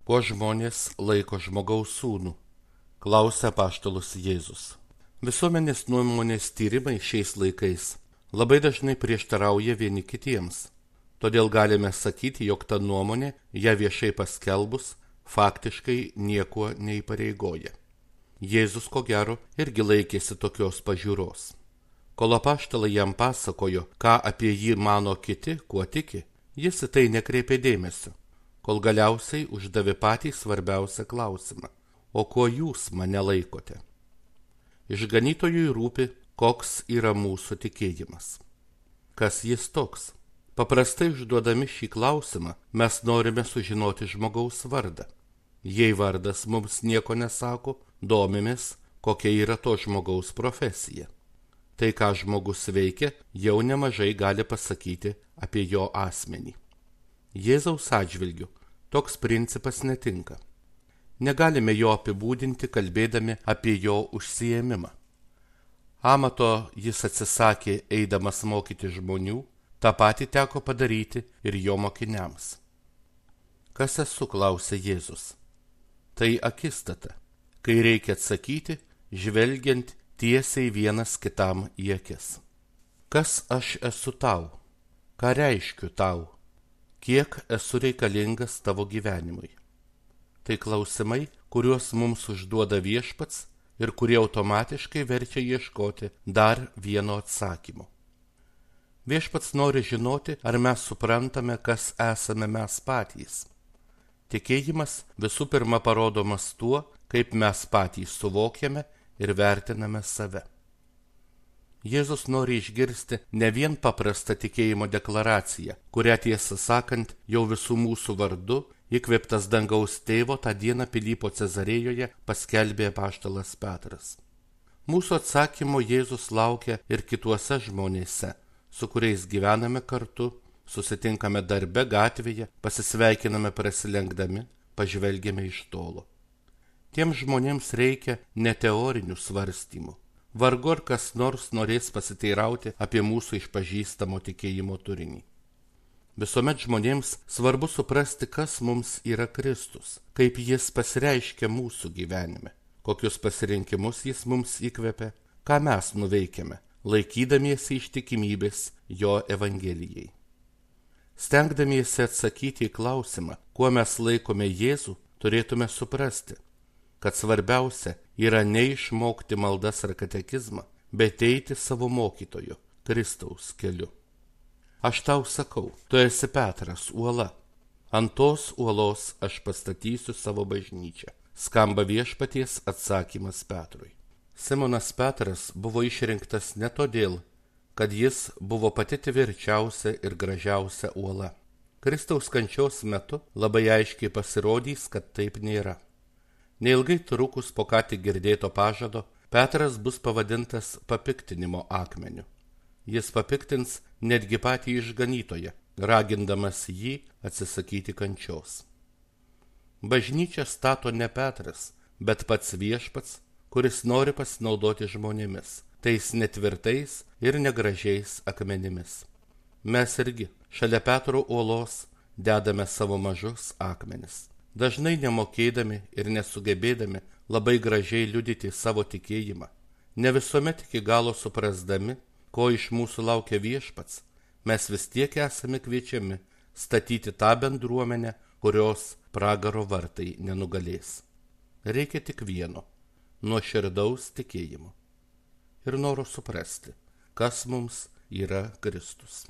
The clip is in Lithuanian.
Kuo žmonės laiko žmogaus sūnų? Klausia apaštalas Jėzus. Visuomenės nuomonės tyrimai šiais laikais labai dažnai prieštarauja vieni kitiems. Todėl galime sakyti, jog ta nuomonė, ją viešai paskelbus, faktiškai niekuo neįpareigoja. Jėzus, ko gero, irgi laikėsi tokios pažiūros. Kol apaštalai jam pasakojo, ką apie jį mano kiti, kuo tiki, jis į tai nekreipė dėmesio, kol galiausiai uždavė patį svarbiausią klausimą: o kuo jūs mane laikote? Išganytojui rūpi, koks yra mūsų tikėjimas. Kas jis toks? Paprastai užduodami šį klausimą mes norime sužinoti žmogaus vardą. Jei vardas mums nieko nesako, domimės, kokia yra to žmogaus profesija. Tai, ką žmogus veikia, jau nemažai gali pasakyti apie jo asmenį. Jėzaus atžvilgiu toks principas netinka. Negalime jo apibūdinti, kalbėdami apie jo užsiėmimą. Amato jis atsisakė, eidamas mokyti žmonių, tą patį teko padaryti ir jo mokiniams. Kas esu, klausė Jėzus. Tai akistata, kai reikia atsakyti, žvelgiant tiesiai vienas kitam į akis. Kas aš esu tau? Ką reiškiu tau? Kiek esu reikalingas tavo gyvenimui? Tai klausimai, kuriuos mums užduoda Viešpats ir kurie automatiškai verčia ieškoti dar vieno atsakymo. Viešpats nori žinoti, ar mes suprantame, kas esame mes patys. Tikėjimas visų pirma parodomas tuo, kaip mes patys suvokiame ir vertiname save. Jėzus nori išgirsti ne vien paprastą tikėjimo deklaraciją, kurią tiesą sakant jau visų mūsų vardu, įkvėptas dangaus tėvo, tą dieną Pilypo Cezarėjoje paskelbė apaštalas Petras. Mūsų atsakymo Jėzus laukia ir kituose žmonėse, su kuriais gyvename kartu, susitinkame darbe, gatvėje, pasisveikiname prasilenkdami, pažvelgiame iš tolo. Tiems žmonėms reikia ne teorinių svarstymų. Vargu ar kas nors norės pasiteirauti apie mūsų išpažįstamo tikėjimo turinį. Visuomet žmonėms svarbu suprasti, kas mums yra Kristus, kaip jis pasireiškia mūsų gyvenime, kokius pasirinkimus jis mums įkvepia, ką mes nuveikiame, laikydamiesi ištikimybės jo Evangelijai. Stengdamiesi atsakyti į klausimą, kuo mes laikome Jėzų, turėtume suprasti, kad svarbiausia yra ne išmokti maldas ar katekizmą, bet eiti savo mokytojo, Kristaus keliu. Aš tau sakau, tu esi Petras, uola. Ant tos uolos aš pastatysiu savo bažnyčią. Skamba Viešpaties atsakymas Petrui. Simonas Petras buvo išrinktas ne todėl, kad jis buvo pati tvirčiausia ir gražiausia uola. Kristaus kančios metu labai aiškiai pasirodys, kad taip nėra. Neilgai trukus po ką tik girdėto pažado, Petras bus pavadintas papiktinimo akmeniu. Jis papiktins netgi patį išganytoją, ragindamas jį atsisakyti kančios. Bažnyčią stato ne Petras, bet pats Viešpats, kuris nori pasinaudoti žmonėmis, tais netvirtais ir negražiais akmenimis. Mes irgi šalia Petro uolos dedame savo mažus akmenis. Dažnai nemokėdami ir nesugebėdami labai gražiai liudyti savo tikėjimą, ne visuomet iki galo suprasdami, ko iš mūsų laukia Viešpats, mes vis tiek esame kviečiami statyti tą bendruomenę, kurios pragaro vartai nenugalės. Reikia tik vieno – nuoširdaus tikėjimo ir noro suprasti, kas mums yra Kristus.